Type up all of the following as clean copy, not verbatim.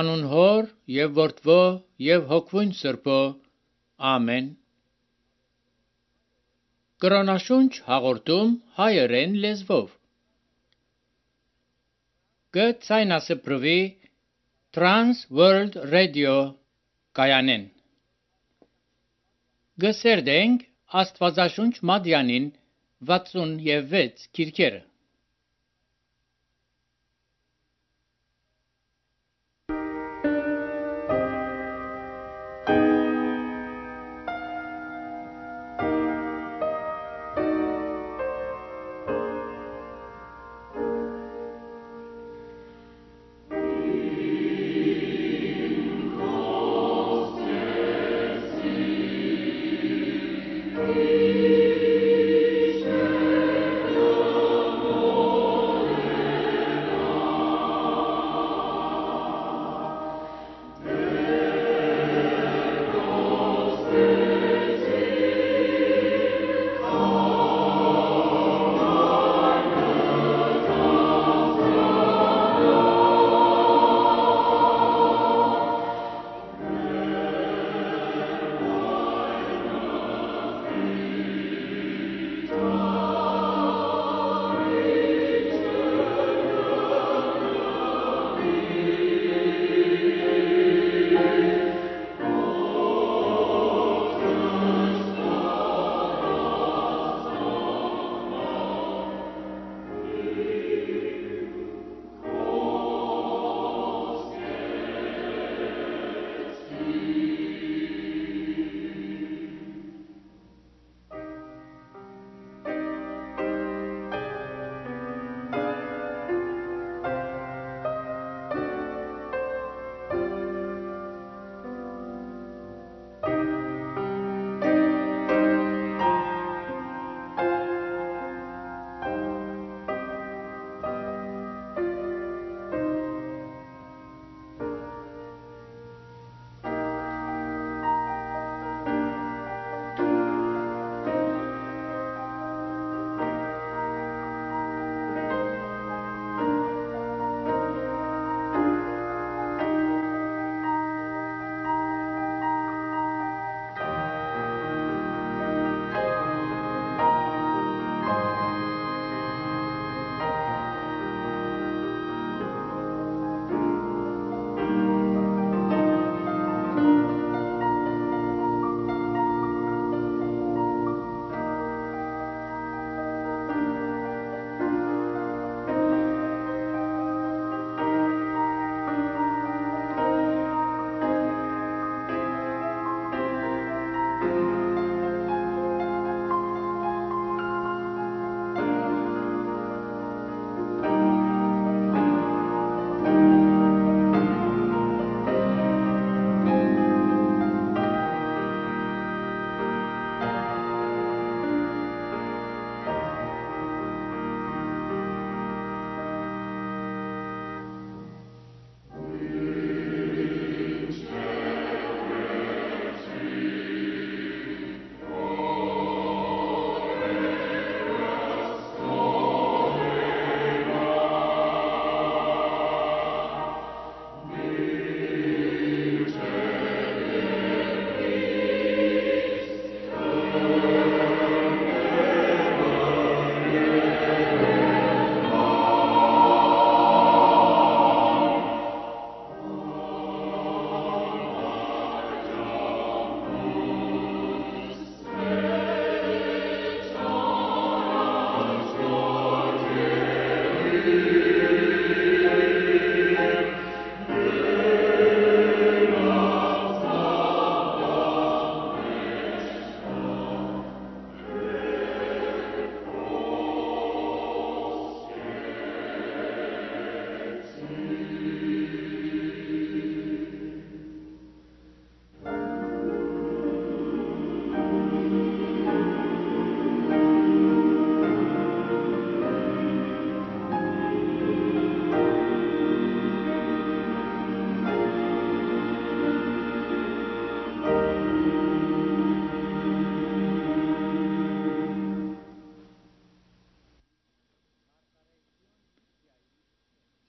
Անուն Հոր եւ Որդվո եւ Հոգվուն Սրբո։ Ամեն։ Կրոնաշունչ հաղորդում հայերեն լեզվով։ Գցայնասպրվի Trans World Radio կայանեն։ Գսերդենք Աստվածաշունչ Մադյանին 66 քիրքերը։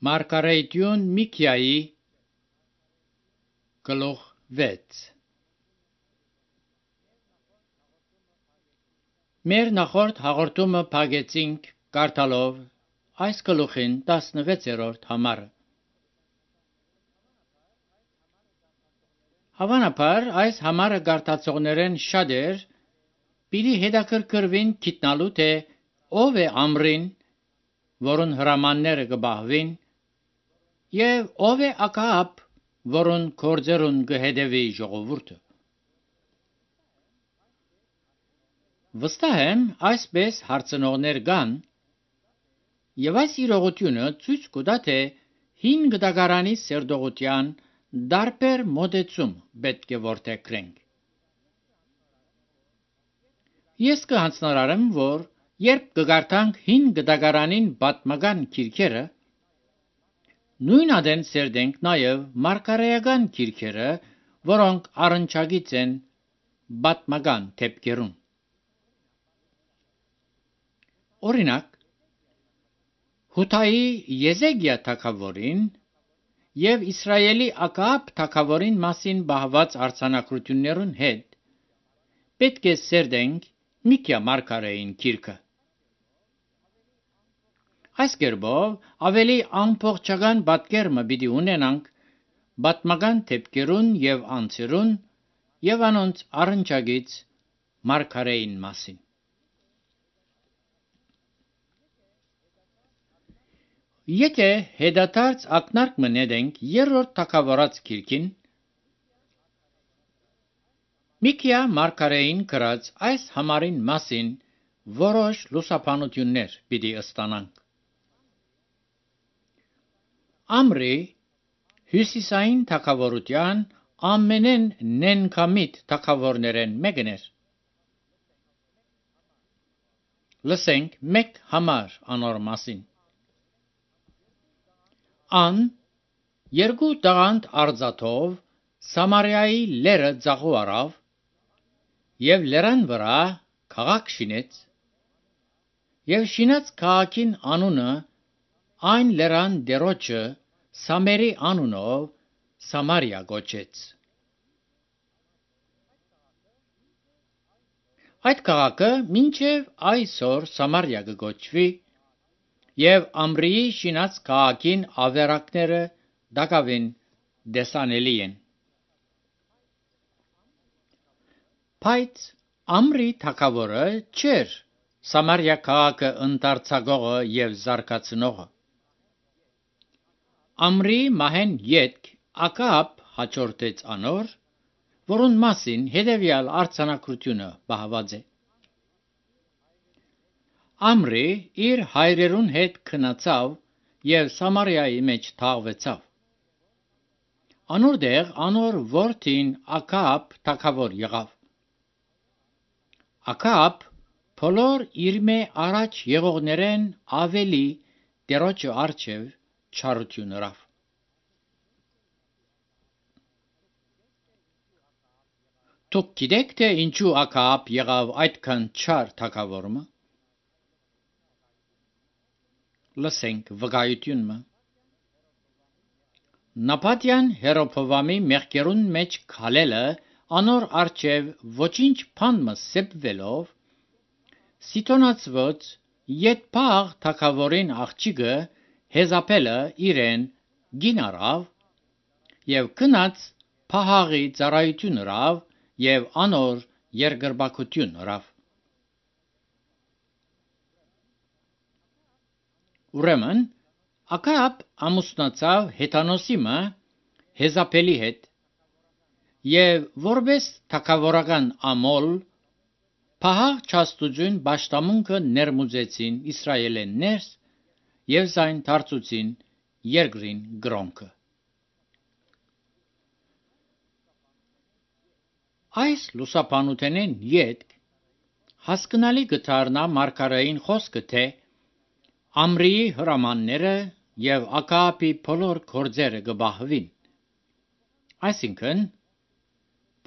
Մարգարեյտյուն Միքիայի գլուխ 6 Մեր նախորդ հաղորդումը փակեցինք կարդալով այս գլուխին 16-րդ համարը։ Հավանաբար այս համարը կարդացողներեն շատեր պիտի հետաքրքրվին գիտնալու թե ով է Ամրին, որուն հրամանները կբահվին, եւ ով է Ակաբ, որուն գործերուն կհետևի ժողովուրդը։ Վստահ եմ այսպես հարցնողներ կան, եւ այս իրողությունը ցույց կտա թե հին գդագարանի սերտողության դարբեր մոտեցում պետք է որդեգրենք։ Ես կհանձնարարեմ, որ երբ կգարտանք հին գդագարանին պատմական գիրքերը, նույն ադեն սերտենք նաև մարգարեական գիրքերը, որոնք առնչագից են պատմական դեպքերուն։ Օրինակ, Հութայի Եզեկիա թագավորին եւ Իսրայելի Ակաբ թագավորին մասին բահված արձանագրություններուն հետ պետք է սերտենք Միքիա մարգարեին գիրքը։ Այս կերպով ավելի ամբողջական պատկերը պիտի ունենանք պատմական դեպքերուն եւ անձերուն եւ անոնց առնչագից մարգարեին մասին։ Եթե հետադարձ ակնարկ մնենք երրորդ թագավորաց գիրքին, Միքիա մարգարեին գրած այս համարին մասին որոշ լուսաբանություններ պիտի ստանանք։ Ամրի հյուսիսային թագավորության ամենեն նենքամիտ թագավորներեն մեկն էր։ Լսենք մեկ համար անոր մասին։ Ան երկու տաղանդ արձաթով Սամարիայի լերը ձախու արավ եւ լերան վրա քաղաք շինեց եւ շինած քաղաքին անունը այն լերան դերոջը Սամերի անունով Սամարիա գոչեց։ Այդ քաղաքը մինչև այսօր Սամարիա կգոչվի եւ Ամրիի շինած քաղաքին ավերակները դակավին դեսանելի են։ Բայց Ամրի թագավորը չէր Սամարիա քաղաքը ընդարձակողը եւ զարգացնողը։ Ամրի մահեն ետք Ակաբ հաջորդեց անոր, որուն մասին հետևյալ արձանագրությունը բահված է։ Ամրի իր հայրերուն հետ քնացավ եւ Սամարիայի մեջ թաղվեցավ։ Անորտեղ անոր որդին Ակաբ թագավոր եղավ։ Ակաբ բոլոր իր մե առաջ եղողներեն ավելի դերոջը արչև չարություն ըրավ։ Դուք գիտեք թե ինչու Ակաբ եղավ այդքան չար թագավորը։ Լսենք վկայությունը։ Նապատյան Հերոբովամի մեղքերուն մեջ քալելը անոր արչև ոչինչ բանմը սեպվելով Սիդոնացված Ետփաղ թագավորին աղջիկը Հեզապելը իրեն գին արավ եւ գնաց Փահաղի ծառայություն ըրավ եւ անոր երկրպագություն ըրավ։ Ուրեմն Ակաբ ամուսնացավ Հեթանոսի մը Հեզապելի հետ եւ որպես թագավորական ամոլ Փահաղ չաստուծուն պաշտամունքը ներմուծեցին Իսրայելներս եւ զայն դարձուցին երկրին գրոնքը։ Այս լուսաբանութենեն ետք հասկանալի գտարնա մարգարեին խոսքը թե Ամրիի հրամանները եւ Ակաբի բոլոր գործերը կբահվին։ Այսինքն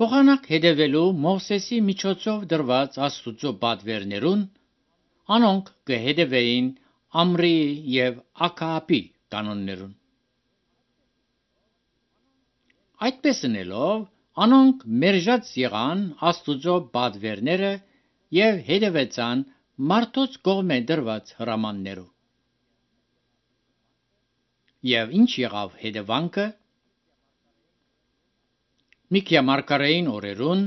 փոխանակ հետևելու Մովսեսի միջոցով դրված Աստուծո պատվերներուն, անոնք կհետևեին Ամրիի եւ Ակաբի կանոններուն։ Այդպես ընելով, անոնք մերժած եղան Աստուծո բադվերները եւ հետևեցան մարդոց կողմէ դրված հրամաններու։ Եվ ինչ եղավ հետևանքը։ Միքիա մարգարեին օրերուն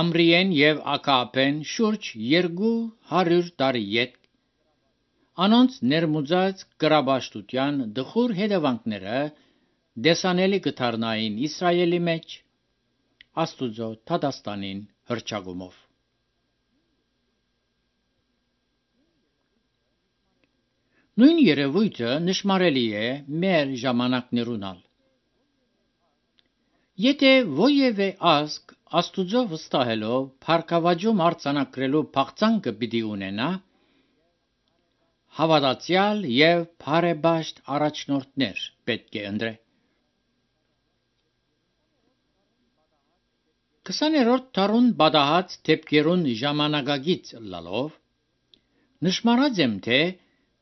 Ամրիեն եւ Ակապեն շուրջ 200 տարի յետ անոնց ներմուծած կրաբաշտության դխուր հետևանքները դեսանելի կդառնային Իսրայելի մեջ Աստուծո թադաստանին հրճագումով։ Նույն երևույթը նշмарելի է մեր ժամանակներունալ։ Եթե ովևէ ազգ Աստուծո վստահելով փառքավաճում արձանագրելու փաղցանքը պիտի ունենա, հավատացյալ եւ բարեպաշտ առաջնորդներ պետք է ընտրե։ 20-րդ դարուն բադահած դեպքերուն ժամանակագից լալով նշмарած եմ թե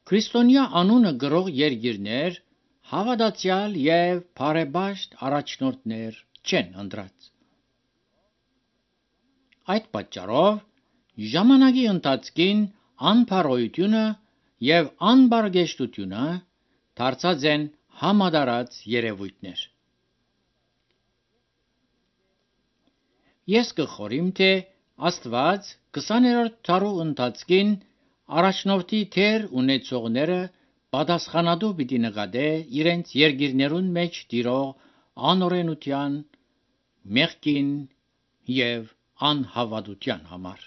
քրիստոնյա անունը գրող երկիրներ հավատացյալ եւ բարեպաշտ առաջնորդներ չեն ընտրած։ Այդ պատճառով ժամանակի ընթացքին անփարոյությունը եւ անբարգեշտությունը դարձած են համադարած երևույթներ։ Ես կխորիմ թե Աստված 20-րդ դարու ընթացքին առաջնորդի թեր ունեցողները պատասխանատու պիտի նկատե իրենց երկիրներուն մեջ տիրող անօրենության, մեղքին եւ անհավատության համար։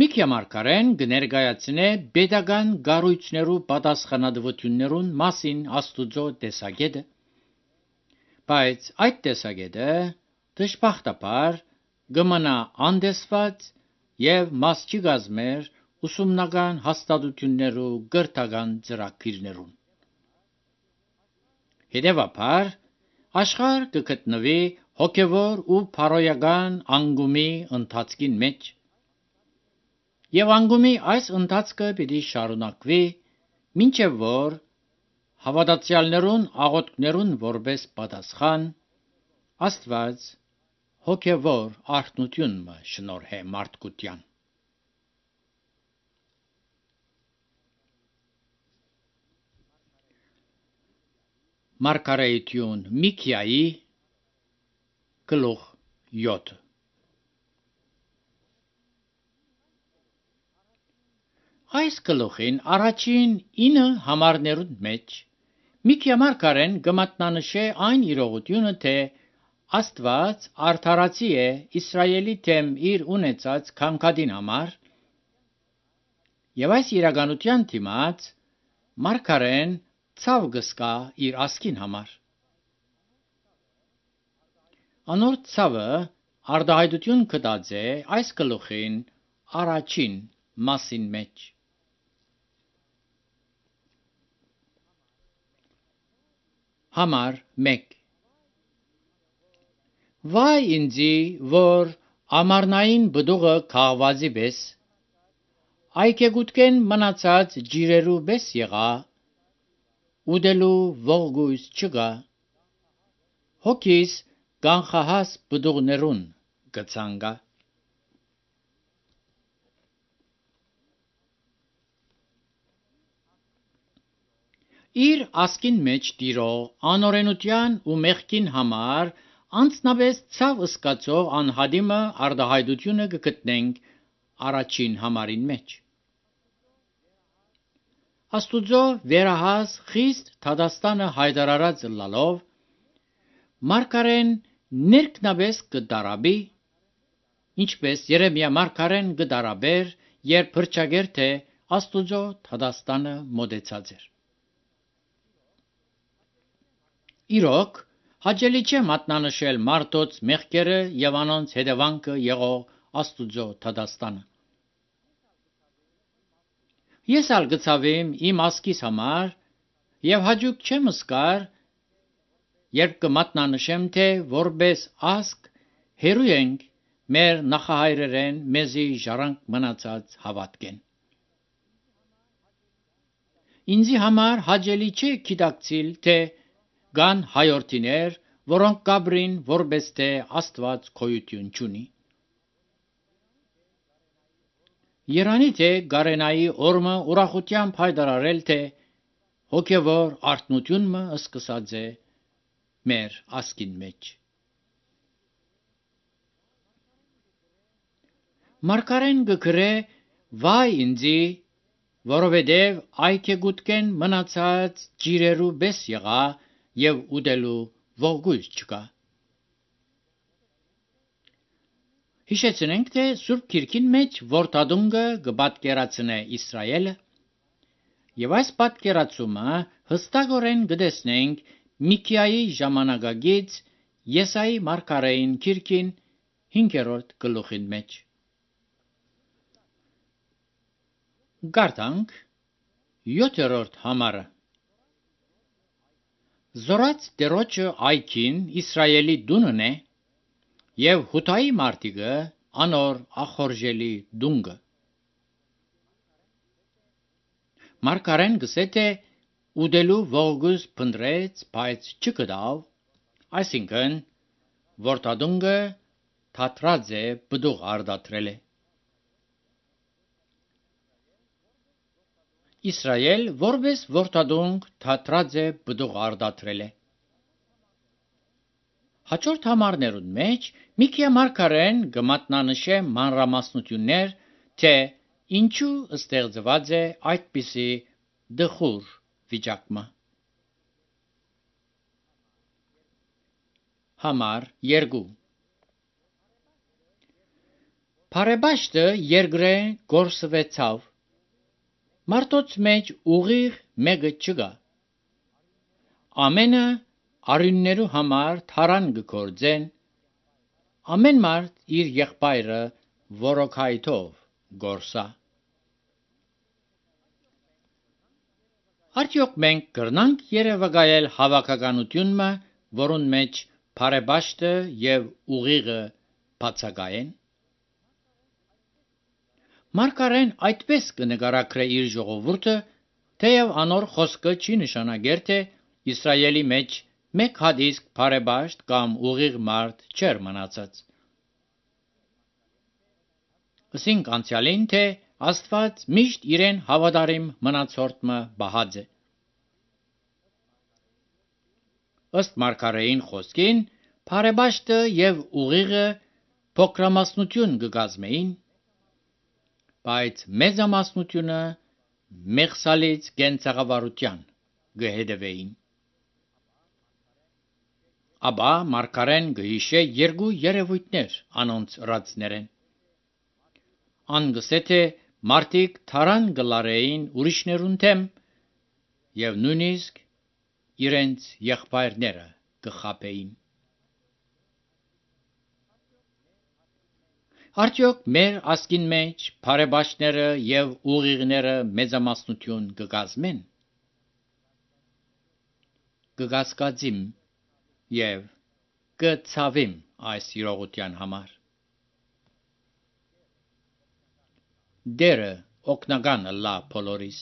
Միքիա մարգարեն կներկայացնե պետական կառույցներու պատասխանատվություններուն մասին Աստուծո տեսակետը, բայց այդ տեսակետը դժբախտաբար կմնա անտեսված եւ մաս չի կազմեր ուսումնական հաստատություններու կրթական ծրագիրներուն։ Հետևաբար աշխարհ կգտնվի հոգևոր ու փարոյական անկումի ընթացքին մեջ, եւ անկումի այս ընթացքը պիտի շարունակվի, մինչեւ որ հավատացյալներուն աղոթքներուն որպես պատասխան Աստված հոգևոր արթնություն մը շնորհե մարդկության։ Մարգարեություն Միքիայի գլուխ 7 Այս գլուխին առաջին 9 համարներուն մեջ Միքիա մարգարեն կմատնանշե այն իրողությունը, թե Աստված արդարացի է Իսրայելի թեմ իր ունեցած քանքադին համար, եւ այս իրականության դիմաց մարգարեն ցավ կսկա իր ասկին համար։ Անոր ցավը արդահայտություն կտած է այս գլուխին առաջին մասին մեջ։ Համար 1 Վայ ինձի, որ ամառնային բդուղը քաղվածի պես, այգեգուտքեն մնացած ջիրերու պես եղա, ուդելու ողգույս չկա, հոգիս կանխահաս բդուղներուն կցանգա։ Իր ասկին մեջ տիրող անօրենության ու մեղքին համար անձնապես ցավ սկացող անհադիմը արդահայտությունը կգտնենք առաջին համարին մեջ։ Աստուծո վերահաս խիստ թադաստանը հայտարարած լալով մարգարեն ներքնաբես կդարաբի, ինչպես Երեմիա մարգարեն կդարաբեր, երբ փրկչագեր թե Աստուծո թադաստանը մոտեցած էր։ Իրոք հաճելի չէ մատնանշել մարդոց մեղքերը եւ անոնց հետևանքը եղող Աստուծո թադաստանը։ Ես ալ գծավեմ իմ ասկիս համար եւ հաջուկ չեմ սկար, երբ կմատնանշեմ թե որպես ասկ հերու ենք մեր նախահայրերեն մեզի ժառանգ մնացած հավատքեն։ ինձի համար հաճելի չէ գիտակցիլ, թե կան հայորդիներ, որոնք կաբրին, որպես թե Աստված գոյություն չունի։ Երանի թե գարենայի օրմը ուրախությամբ հայտարարել, թե հոգևոր արթնությունը սկսած է մեր ասկին մեջ։ Մարգարեն գկրե վայ ինձի, որովհետև այգեգուտքեն մնացած ջիրերու բես եղա և ուտելու ողգույց չկա։ Հիշեցնենք, թե Սուրբ Գիրքին մեջ որդադունգը կպատկերացնե Իսրայելը, և այս պատկերացումը հստակորեն կտեսնենք Միքիայի ժամանակագից Եսայի մարգարեին գիրքին 5-րդ գլուխին մեջ։ Գարտանք 7-րդ համարը։ Զորած Տերոջը այգին Իսրայելի դունն է, և հութայի մարտիկը անոր ախորժելի դունգը։ Մարգարեն գսե թե ուտելու ողգույց փնտրեց, բայց չգտավ, այսինքն որդադունգը թատրած է, բդուղ արդատրել է։ Իսրայել որպես որդադունգ թատրած է, բդուղ արդատրել է։ Հաջորդ համարներուն մեջ Միքիա մարգարեն կմատնանշե մանրամասնություններ, թե ինչու ստեղծված է այդպիսի դխուր վիճակը։ Համար 2 Բարեբաշտը երկրե գործվեցավ, մարդոց մեջ ուղիղ մեկը չկա։ Ամենը արյուններու համար թարան կգործեն, ամեն մարդ իր եղբայրը որոքայթով գործա։ Արդյոք մենք կրնանք երևակայել հավաքականությունը, որուն մեջ բարեբաշտը և ուղիղը բացակայեն։ Մարգարեն այդպես կնկարագրե իր ժողովուրդը, թեև անոր խոսքը չի նշանակեր, թե Իսրայելի մեջ մեկ հատ իսկ բարեբաշտ կամ ուղիղ մարդ չէր մնացած։ Ասինք անցյալին, թե Աստված միշտ իրեն հավատարիմ մնացորդը բահած է։ Ըստ մարգարեին խոսքին, բարեբաշտը և ուղիղը փոքրամասնություն կկազմեին, բայց մեծամասնությունը մեղսալից կենցաղավարության կհետևեին։ Ապա մարգարեն կհիշե երկու երևույթներ անոնց ռածներեն։ Ան գսե թե մարդիկ թարան կլարեին ուրիշներուն դեմ և նույնիսկ իրենց եղբայրները կխաբեին։ Արդյոք մեր ասկին մեջ բարեբաշտները և ուղիղները մեծամասնություն կկազմեն։ Կկասկածիմ և կցավիմ այս իրողության համար։ Դերը օգնական ըլլա բոլորիս։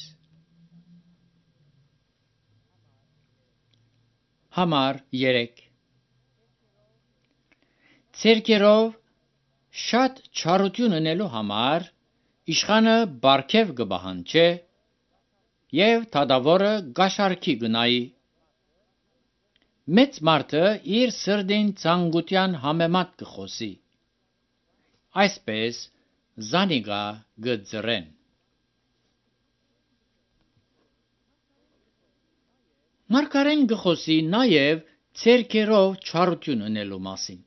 Համար 3 Ցերկերով շատ չարություն ունելու համար իշխանը բարգև կբահանջե և թադավորը գաշարքի գնայի։ Մեծ մարդը իր սրտին ցանկության համեմատ կխոսի, այսպես զանիկա կծրեն։ Մարգարեն կխոսի նաև ցերկերով չարություն ունելու մասին։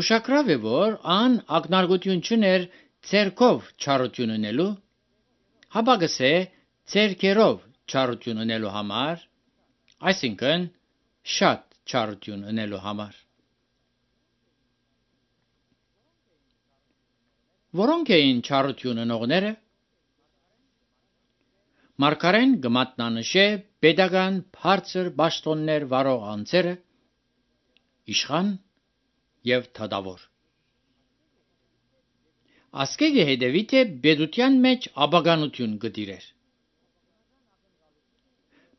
Ուշագրավ է, որ ան ակնարկություն չուներ ցերկով չարություն ունելու, հապա գսե ցերկերով չարություն ունելու համար, այսինքն շատ չարություն ունելու համար։ Որոնք էին չարություն ունողները։ Մարգարեն կմատնանշե պետական բարձր պաշտոններ վարող անձերը, իշխան և թադավոր։ Ասկեգը հետևի թե բեդության մեջ աբագանություն գտիրեր։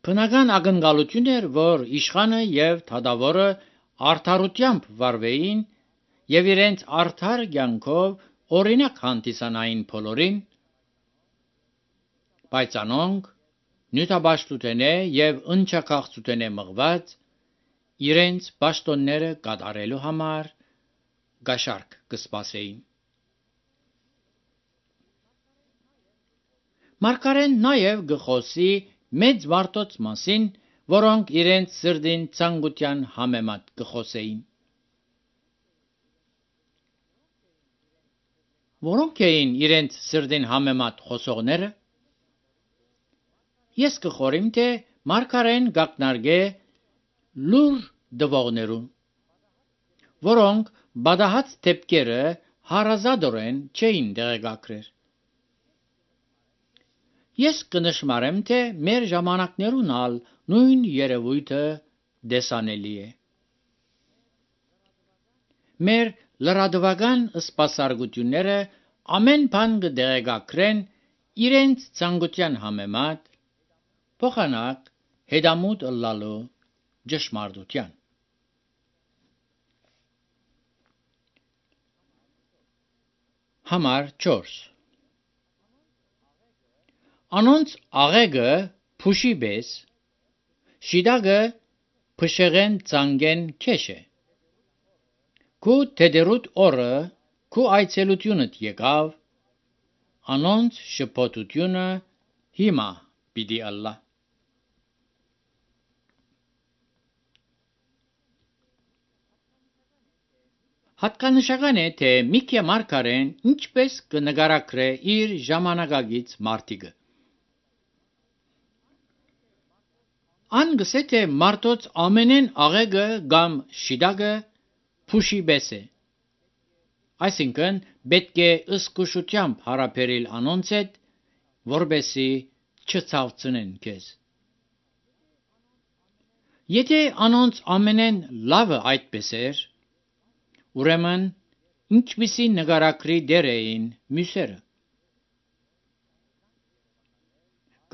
Բնական ակնկալություն էր, որ իշխանը եւ թադավորը արդարությամբ վարվեին եւ իրենց արդար կյանքով օրինակ հանդիսանային բոլորին, բայց անոնք նյութաբաշխութենե եւ ընչակաղցութենե մղված իրենց պաշտոնները կատարելու համար գաշարք կսպասեին։ Մարգարեն նաև գխոսի մեծ մարդոց մասին, որոնք իրենց սրտին ցանկության համեմատ գխոսեին։ Որոնք էին իրենց սրտին համեմատ խոսողները։ Ես կխորիմ, թե մարգարեն գակնարգե լուր դվողներուն, որոնք բադահած դեպքերը հարազատորեն չէին դեղեկագրեր։ Ես կնշմարեմ, թե մեր ժամանակներուն ալ նույն երևույթը դեսանելի է։ Մեր լրատվական սպասարկությունները ամեն բան կդեղեկագրեն իրենց ցանկության համեմատ, փոխանակ հետամուտ ըլլալու ճշմարտության։ Համար 4 Անոնց աղեգը փուշի բես, շիդագը փշեղեն ցանգեն քեշ է։ Քու թեդերուտ օրը քու այցելությունդ եկավ, անոնց շփոթությունը հիմա պիտի ալլա։ Հատկանշական է, թե Միքիա մարգարեն ինչպես կնկարագրե իր ժամանակագից մարդիկը։ Ան գսե թե մարդոց ամենեն աղեգը կամ շիդագը փուշի բես է։ Այսինքն պետք է ըսկուշությամբ հարաբերել անոնց հետ, որբեսի չցավցնեն քեզ։ Եթե անոնց ամենեն լավը այդպես էր, ուրեմն ինչպիսի նկարագրի դեր էին մյուսերը։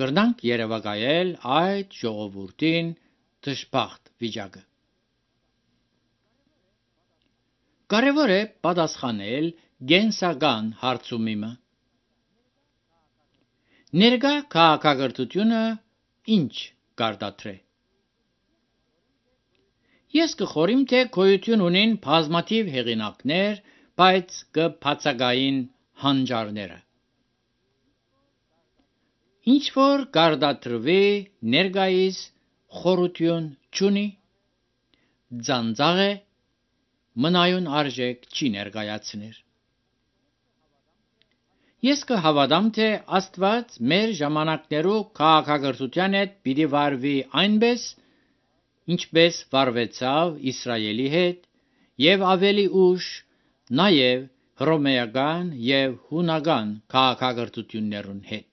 Կրնանք երևակայել այդ ժողովուրդին դժբախտ վիճակը։ Կարևոր է պատասխանել գենսական հարցումիմը։ Ներկա քաղաքակրթությունը ինչ կարտադրե։ Ես կխորիմ, թե գոյություն ունին բազմաթիվ հեղինակներ, բայց կբացակային հանճարները։ Ինչ որ կարտադրվի ներկայիս խորություն չունի, ձանձաղ է, մնայուն արժեք չի ներկայացներ։ Ես կհավատամ, թե Աստված մեր ժամանակներու քաղաքակրթության հետ պիտի վարվի այնպես, ինչպես վարվեցավ Իսրայելի հետ եւ ավելի ուշ նաեւ հռոմեական եւ հունական քաղաքակրթություններուն հետ։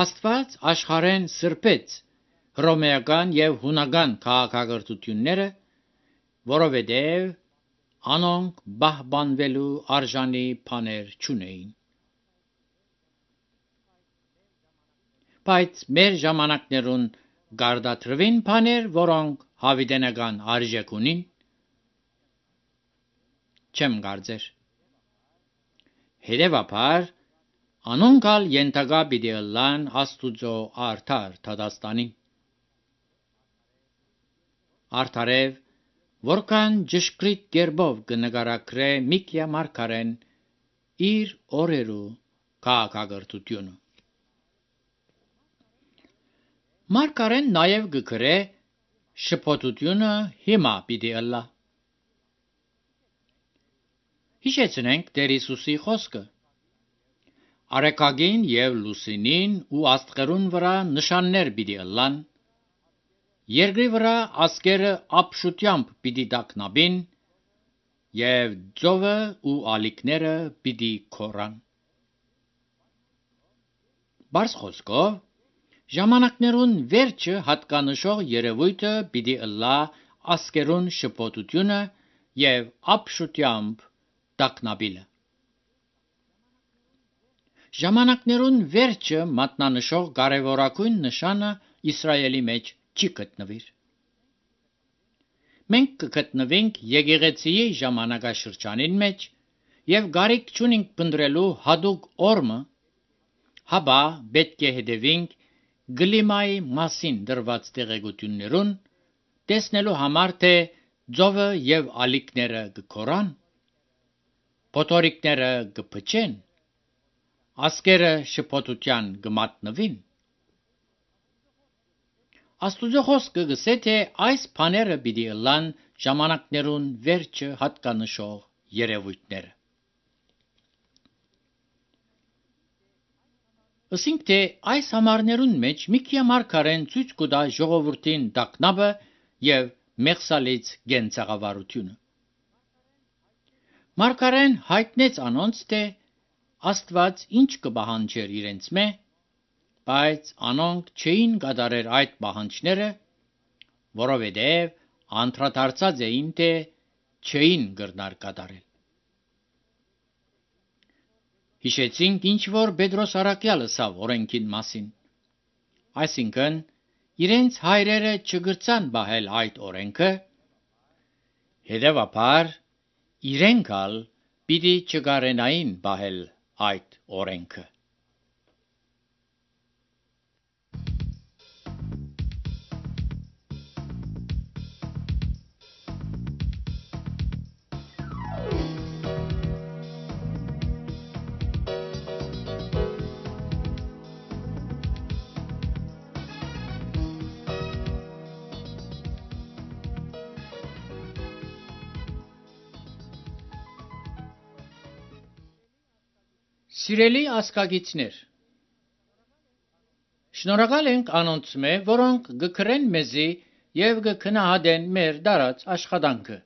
Աստված աշխարհեն սրբեց հռոմեական եւ հունական քաղաքակրթությունները, որովհետեւ անոնք բահբանվելու արժանի բաներ չունեին։ Բայց մեր ժամանակներուն գարդատրվին բաներ, որոնք հավիտենական արժեք ունին, չեմ կարծեր։ Հետևաբար, անոնք ալ ենթակա պիտի ըլլան Աստուծո արդար դատաստանին։ Արդարև, որքան ճշգրիտ կերպով կնկարագրե Միքիա մարգարեն իր օրերու քաղաքակրթությունը։ Մարգարեն նաև կգրե շփոթությունը հիմա պիտի ըլլա։ Հիշեցնենք Տեր Հիսուսի խոսքը. Արեգագին եւ լուսինին ու աստղերուն վրա նշաններ պիտի ըլլան, երկրի վրա ասկերը ապշությամբ պիտի տագնաբին եւ ծովը ու ալիքները պիտի քորան։ Բարձ խոսքով, ժամանակներուն վերջը հատկանշող երևույթը պիտի ըլլա ասկերուն շփոթությունը եւ ապշությամբ տակնաբիլը։ Ժամանակներուն վերջը մատնանշող կարևորագույն նշանը Իսրայելի մեջ չի գտնվիր։ Մենք կգտնվենք եկեղեցիի ժամանակաշրջանին մեջ եւ գարիք չունենք փնտրելու հadouk օրմը, հաբա պետք է հետևենք գլիմայի մասին դրված տեղեկություններուն, տեսնելու համար թե ձովը եւ ալիքները կկորան, փոթորիկները կփչեն, ասկերը շփոթության կմատնվին։ Աստուծո խոսքը գսե թե այս բաները պիտի լան ժամանակներուն վերջը հատկանշող երևույթները։ Ասինք թե այս համարներուն մեջ Միքիա մարգարեն ցույց կտա ժողովրդին տակնաբը եւ մեղսալից գենցաղավարությունը։ Մարգարեն հայտնեց անոնց թե Աստված ինչ կպահանջեր իրենց մե, բայց անոնք չէին կատարեր այդ պահանջները, որովհետև անդրադարձած էին թե չէին կրնար կատարել։ Հիշեցինք ինչ որ Պետրոս առաքյալը սավ օրենքին մասին, այսինքն իրենց հայրերը չգրցան բահել այդ օրենքը, հետևաբար իրենք ալ պիտի չկարենային բահել այդ օրենքը։ Սիրելի ասկագիցներ, շնորհակալ ենք անոնց մե, որոնք գկրեն մեզի եւ գքնահատեն մեր դարած աշխատանքը։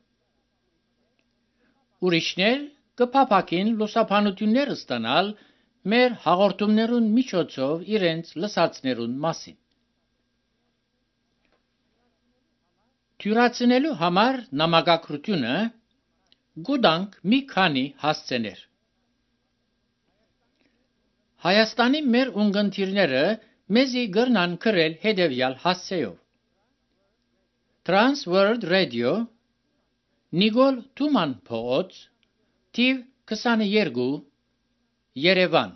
Ուրիշներ կփափակին լուսաբանություններ ստանալ մեր հաղորդումներուն միջոցով իրենց լսածներուն մասին։ Թյուրացնելու համար նամակագրությունը գուտանք մի քանի հասցեներ։ Հայաստանի մեր ունգընտիրները մեզի գրնան գրել հետևյալ հասցեով. Trans World Radio, Նիկոլ Թուման փողոց, թիվ 22, Երևան։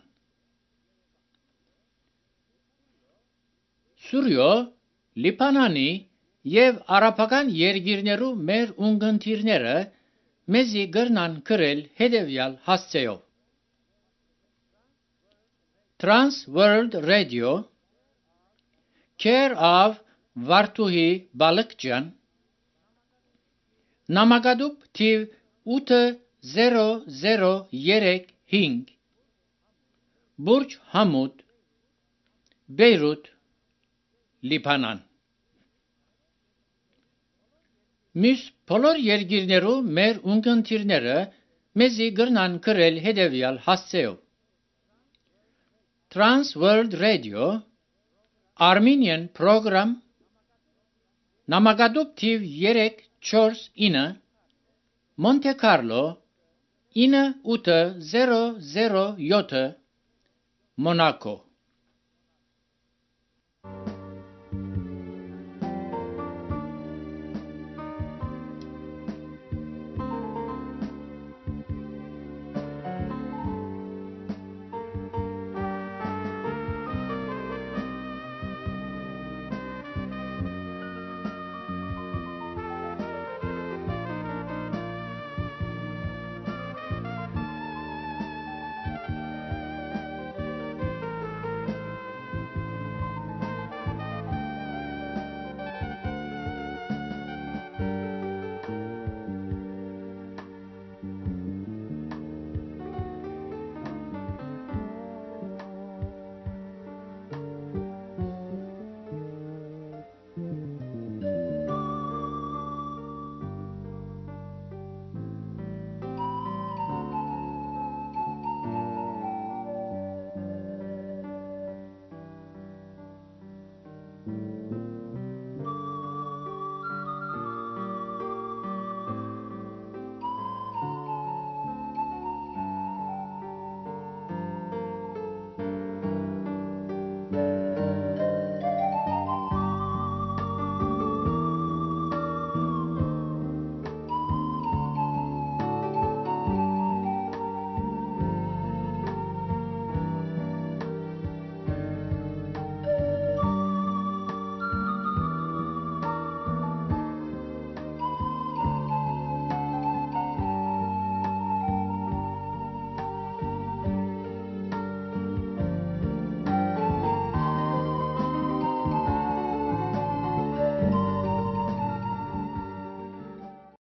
Սուրյո, Լիբանանի եւ արաբական երկիրներու մեր ունգընտիրները մեզի գրնան գրել հետևյալ հասցեով. Trans World Radio, care of Վարդուհի Բալկջյան, նամակադուպ թիվ 800335, Բուրջ Համուդ, Բեյրութ, Լիբանան։ Մյուս բոլոր երկիրներու մեր ունգընտիրները մեզի գրնան գրել հետևյալ հասցեով. Trans World Radio, Armenian Program, նամակադուպ թիվ 349, Monte Carlo, 9807, Monaco։